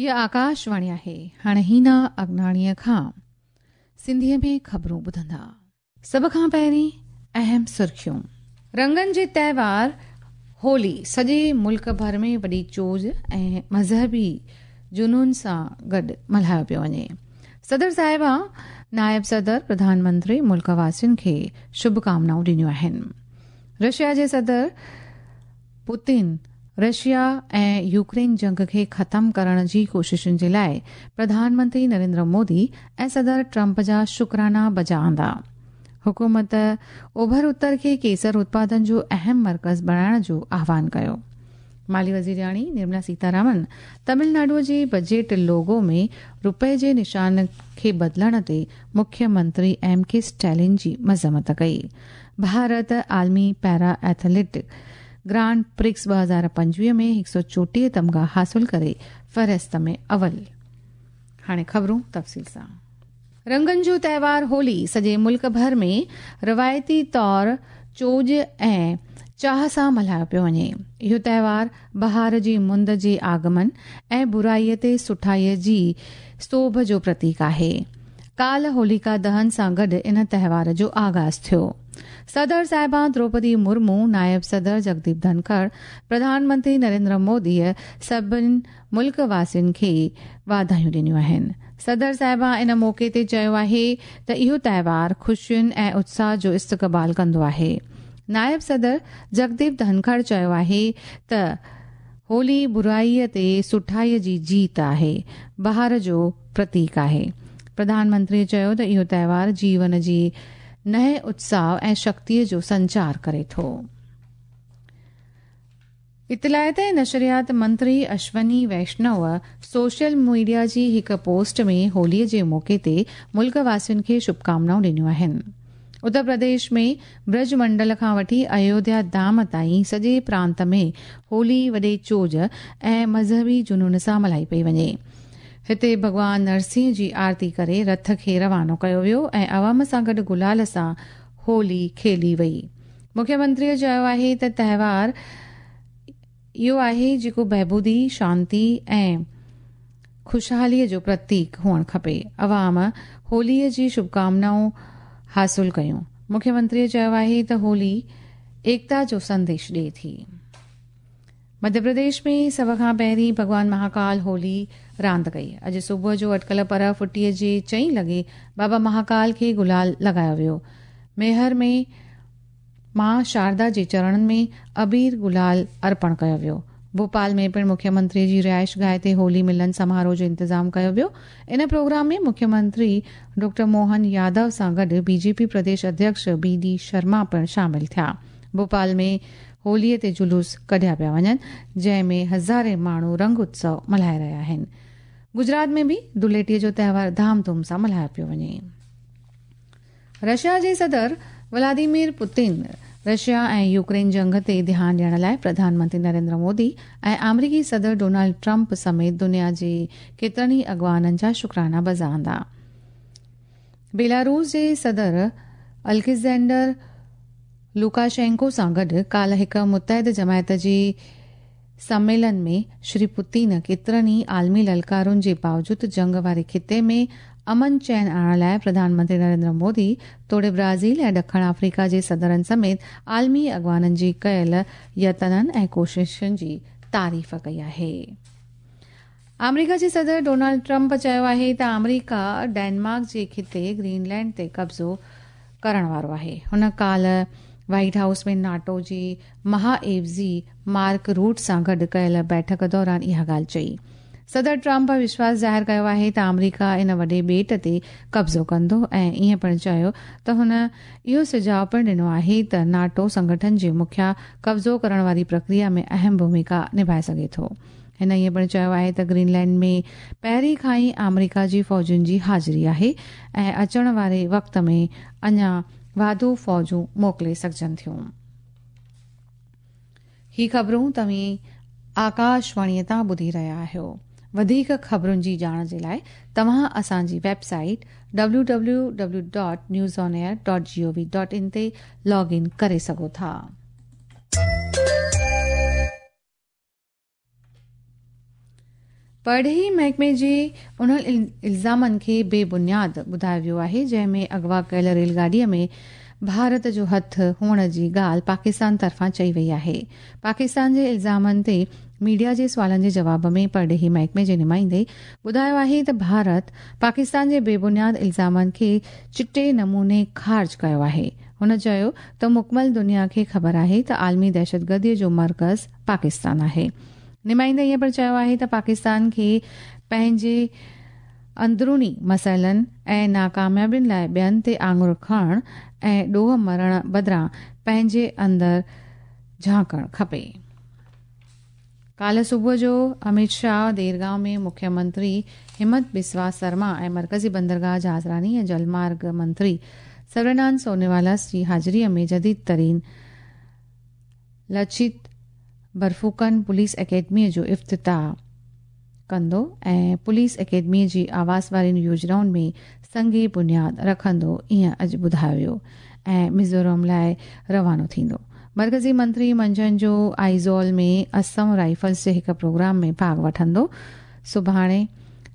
هيء آڪاشواڻي آهي. هاڻي هينا اگناڻيء کان سنڌيء ۾ خبرون ٻڌندا. سڀ کان پهرين اهم سرخيون. رنگن جي تهوار هولي سڄي ملڪ ڀر ۾ وڏي چوڄ ۽ مذهبي جنون سان گڏ ملهايو پيو وڃي. صدر صاحبه، نائب صدر، پرڌان منتري ملڪ واسين کي شڀ ڪامنائون ڏنيون آهن. رشيا جي صدر پوتين رشيا ۽ يوڪرين جنگ کي ختم ڪرڻ جي ڪوششن جي لاء پرڌان منتري نريندر مودي ۽ صدر ٽرمپ جا شڪرانا بجا آندا. حڪومت اوڀر اتر کي ڪيسر اتپادن جو اهم مرڪز بڻائڻ جو آهوان ڪيو. مالي وزيرياڻي نرملا سيتارامن تمل ناڊو جي بجيٽ لوگو ۾ روپئي جي نشان کي بدلڻ تي مکيه منتري ايم ڪي اسٽالن جي مذمت ڪئي. ڀارت عالمي پيرا ايٿليٽ گرانڊ پرڪس 2025 ۾ 134 تمغا حاصل ڪري فهرست ۾ اول. هاڻي خبرون تفصيل سان. رنگن جو تهوار هولي سڄي ملڪ ڀر ۾ روايتي طور چوڄ ۽ چاهه سان ملهايو پيو وڃي. اهو تهوار بهار جي مند جي آگمن ۽ برائي تي سٺائي جي سوڀ جو پرتيڪ آهي. ڪالهه هوليڪا دهن سان گڏ ان تهوار جو آغاز ٿيو. صدر صاحبان دروپدي مرمو، نائب صدر جگديپ ڌنکڙ، پرڌان منتري نريندر موديء سڀني ملڪ واسين کي واڌايون ڏنيون آهن. صدر صاحبان ان موقعي تي چيو آهي ته اهو تهوار خوشين ۽ اتساهه جو استقبال ڪندو آهي. نائب صدر جگديپ ڌنکڙ چيو آهي ته هولي برائيء تي سٺائيء جي جيت آهي، بهار جو پرتيڪ آهي. پرڌان منتريء چيو ته اهو تهوار جيون جي نئين اتساهه ۽ شڪتيء جو سنچار ڪري ٿو. اطلاعات ۽ نشريات منتري اشوني ويشنو سوشل ميڊيا جي هڪ پوسٽ ۾ هولي جي موقعي تي ملڪ واسين کي شڀڪامنائون ڏنيون آهن. اتر پرديش ۾ برج منڊل کان وٺي ايوڌيا ڌام تائين سڄي پرانت ۾ هولي وڏي چوڄ ۽ مذهبي جنون سان ملهائي پئي وڃي. هتي ڀڳوان نرسنهه جي آرتي ڪري رٿ کي روانو ڪيو ويو ۽ عوام سان گڏ گلال سان هولي کيلي وئي. مکيه منتريء چيو آهي ته تهوار اهو آهي جيڪو بهبودي، شانتي ۽ خوشحاليء جو پرتيڪ هئڻ کپي. عوام هوليء جي شڀڪامنائون حاصل ڪيون. مکيه منتريء چيو آهي ته هولي ايڪتا جو سنديش ڏئي ٿي. مڌيه پرديش ۾ سڀ کان پهرين ڀڳوان مهاڪال هولي راند ڪئي. اڄ صبح جو اٽڪل پرهه ڦٽيء جي چئين لڳي بابا مهاڪال کي گلال لڳايو ويو. ميهر ۾ مان شاردا جي چرڻن ۾ عبير گلال ارپڻ ڪيو ويو. ڀوپال ۾ پڻ مکيه منتري جي رهائش گاهه تي هولي ملن سماروهه جو انتظام ڪيو ويو. ان پروگرام ۾ مکيه منتري ڊاڪٽر موهن يادو سان گڏ بي جي پي پرديش اڌيڪش بي ڊي شرما پڻ شامل ٿيا. ڀوپال ۾ هوليء تي جلوس ڪڍيا پيا وڃن، جنهن ۾ هزارين ماڻهو رنگ اتسو ملهائي رهيا آهن. گجرات ۾ به ڌوليٽيء جو تهوار ڌام ڌوم سان ملهايو پيو وڃي. رشيا جي صدر ولاديمير پوتين رشيا ۽ يوڪرين جنگ تي ڌيان ڏيڻ لاء پرڌان منتري نريندر مودي ۽ آمريڪي صدر ڊونلڊ ٽرمپ سميت دنيا جي ڪيترن ئي اڳواڻن جا شڪرانا بجا آندا. بيلاروس جي صدر الگزينڊر لوڪاشينڪو سان گڏ ڪالهه هڪ متحد جماعت جي سميلن ۾ شري پوتين ڪيترن ئي عالمي للڪارن جي باوجود جنگ واري خطي ۾ امن چين آڻڻ لاء پرڌان منتري نريندر مودي توڙي برازيل ۽ ڏکڻ آفريڪا جي صدرن سميت عالمي اڳواڻن جي ڪيل يتنن ۽ ڪوششن جي تعريف ڪئي آهي. آمريڪا جي صدر ڊونلڊ ٽرمپ چيو آهي ته آمريڪا ڊينمارڪ جي خطي گرين لينڊ تي قبضو ڪرڻ وارو آهي. هن ڪالهه وائيٽ هائوس ۾ ناٽو جي مها عيوضي مارڪ روٽ سان گڏ ڪيل بيٺڪ دوران اها ڳالهه چئي. صدر ٽرمپ وشواس ظاهر ڪيو آهي ته آمريڪا ان وڏي ٻيٽ تي قبضو ڪندو ۽ ائين پڻ چيو ته هن اهو سجهاء پڻ ڏنو آهي ته ناٽو سنگٺن جي مکيا قبضو ڪرڻ واري پرڪريا ۾ اهم ڀوميڪا نڀائي سگهي ٿو. هن ائين پڻ چيو آهي ته گرين لينڊ ۾ پهرين کان ئي آمريڪا جي فوجن جي حاضري آهي ۽ اچڻ واري وقت ۾ اڃا واڌو فوجون موڪلي سگهجن ٿيون. هي خبرون توهين آڪاشواڻي تان ٻڌي رهيا آهيو. وڌيڪ خبرن جي ڄاڻ جي لاء توهان اسان جي website W W W dot news on air dot G O V dot in تي لاگ ان ڪري سگهو ٿا. پرڏيهي محڪمي جي انهن الزامن کي بي بنياد ٻڌايو ويو آهي جنهن ۾ اغوا ڪيل ريل گاڏي ۾ ڀارت جو هٿ هئڻ جي ڳالهه پاڪستان طرفان چئي وئي آهي. پاڪستان جي الزامن تي ميڊيا جي سوالن جي جواب ۾ پرڏيهي محڪمي جي نمائندي ٻڌايو آهي ته ڀارت پاڪستان جي بي بنياد الزامن کي چٽي نموني خارج ڪيو آهي. هن چيو ته مڪمل دنيا کي خبر آهي ته عالمي دهشتگردي جو مرڪز پاڪستان آهي. نمائندي ائين پڻ چيو آهي ته پاڪستان کي پنهنجي اندروني مسئلن ۽ ناڪاميابين لاء ٻين تي آڱر کڻڻ ۽ ڏوهه مڙهڻ بدران پنهنجي اندر جهانڪڻ کپي. ڪالهه صبح جو اميت شاهه ديرگائون ۾ مکيه منتري همت بسوا سرما ۽ مرڪزي بندرگاهه جهازراني ۽ جلمارگ منتري سربانند سونووالا جي حاضري ۾ جديد ترين لچيت برفوڪن پوليس اڪيڊميء جو افتتاح ڪندو ۽ پوليس اڪيڊميء جي آواس وارين يوجنائن ۾ سنگ بنياد رکندو ائين اڄ ٻڌايو ويو ۽ ميزورم لاء روانو ٿيندو. مرڪزي منتري منجهند جو آئيزول ۾ اسم رائفلز جي هڪ پروگرام ۾ ڀاڳ وٺندو سڀاڻي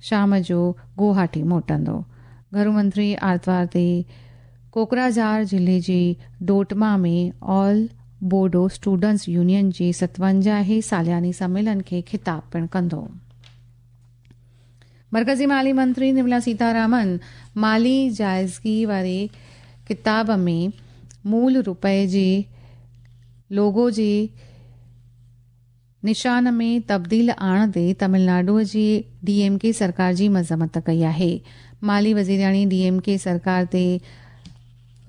شام جو گوهاٽي موٽندو. گهرو منتري آرتوار تي ڪوڪراجهار ضلعي جي ڊوٽما ۾ آل بوڊو اسٽوڊنٽس يونين جي 57 هين سالياني سميلن کي خطاب پڻ ڪندو. مرڪزي مالي منتري نرملا سيتارامن مالي جائزگي واري ڪتاب ۾ مول روپئي جي لوگو جي نشان ۾ تبديل آڻندي تامل ناڊو جي ڊي ايم ڪي سرڪار جي مذمت ڪئي آهي. مالي وزيرياڻي ڊي ايم ڪي سرڪار تي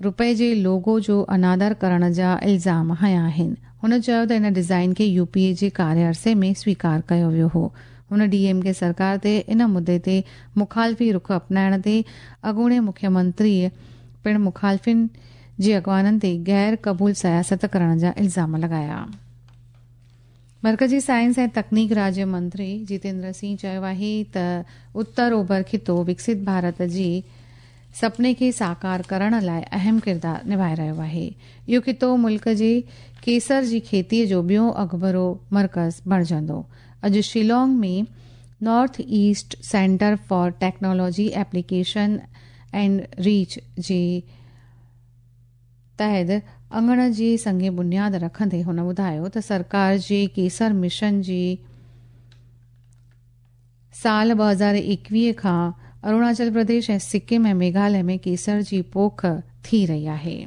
روپئي جي لوگو جو انادر ڪرڻ جا الزام هنيا آهن. هن چيو ته ان ڊزائين کي يو پي اي جي ڪاري عرصي ۾ سويڪار ڪيو ويو هو. هن ڊي ايم ڪي سرڪار تي ان مدي تي مخالفي رخ اپنائڻ تي اڳوڻي مکيه منتري پڻ مخالفين جي اڳواڻن تي غير قبول سياست ڪرڻ جا الزام لڳايا. مرڪزي سائنس ۽ تڪنيڪ راجيه منتري جتيندر سنگهه چيو آهي ته اتر اوڀر خطو وڪست ڀارت جي سپني کي ساڪار ڪرڻ لاء اهم ڪردار نڀائي رهيو آهي. اهو خطو ملڪ جي ڪيسر جي کيتي جو ٻيو اڳڀرو مرڪز بڻجندو. اڄ Shillong ۾ north east centre for technology application and research جي تحت اڱڻ جي سنگ بنياد رکندي هن ٻڌايو ته سرڪار جي ڪيسر مشن جي سال 2021 کان اروناچل پرديش ۽ سڪم ۽ ميگهاليه ۾ ڪيسر جي پوک ٿي رهي آهي.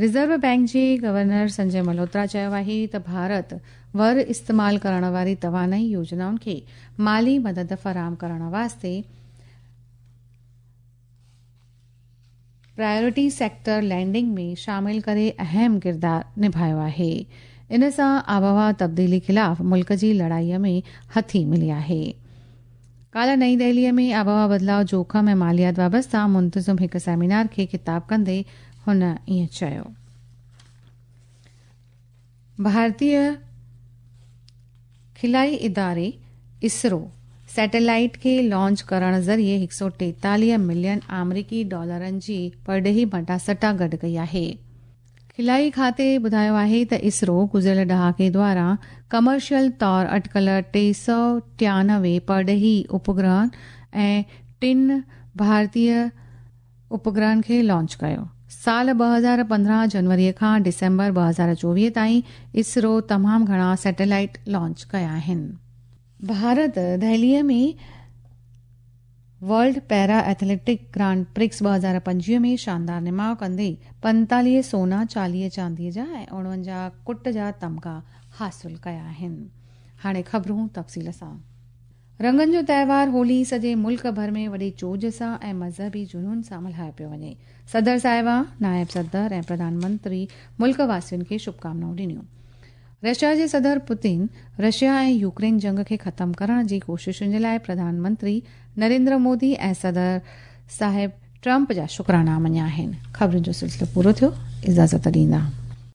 رزرو بئنڪ جي گورنر سنجي ملهوترا چيو آهي ته ڀارت ور استعمال ڪرڻ واري توانائي يوجنائن کي مالي مدد فراهم ڪرڻ واسطي پرائرٽي سيڪٽر لينڊنگ ۾ شامل ڪري اهم ڪردار نڀايو آهي. ان سان آبهوا تبديلي خلاف ملڪ جي لڙائي ۾ هٿي ملي آهي. ڪالهه نئين دهلي ۾ آبهوا بدلاء جوکم ۽ ماليات وابسته منتظم هڪ سيمينار کي خطاب ڪندي هن ائين چيو. ڀارتي خلائي اداري اسرو سيٽلائيٽ کي لانچ ڪرڻ ذريعي 143 ملين آمريڪي ڊالرن جي پرڏيهي مٽاسٽا گڏ ڪئي آهي. خلائي کاتي ٻڌايو آهي ته اسرو گذريل ڏهاڪي دوران ڪمرشل طور اٽڪل 393 پرڏيهي اپگرهن ۽ ٽن ڀارتي اپگرهن کي لانچ ڪيو. سال 2015 جنوري کان ڊسمبر 2024 تائين اسرو تمام گهڻا سيٽلائيٽ لانچ ڪيا آهن. Bharat Delhi ۾ world para athletic grand prix 2025 ۾ شاندار نماء ڪندي 45 سونا، 40 چاندي جا ۽ 49 ڪٽ جا تمغا حاصل ڪيا آهن. هاڻي خبرون تفصيل سان. رنگن جو تهوار هولي سڄي ملڪ ڀر ۾ وڏي چوڄ سان ۽ مذهبي جنون سان ملهايو پيو وڃي. صدر صاحبه، نائب صدر ۽ پرڌان منتري ملڪ واسين کي شڀڪامنائون ڏنيون. رشيا جي صدر پوتين رشيا ۽ يوڪرين جنگ کي ختم ڪرڻ جي ڪوششن جي لاء پرڌان منتري نريندر مودي ۽ صدر صاحب ٽرمپ جا شڪرانا مڃيا آهن. خبرن جو سلسلو پورو ٿيو. اجازت ڏيندا.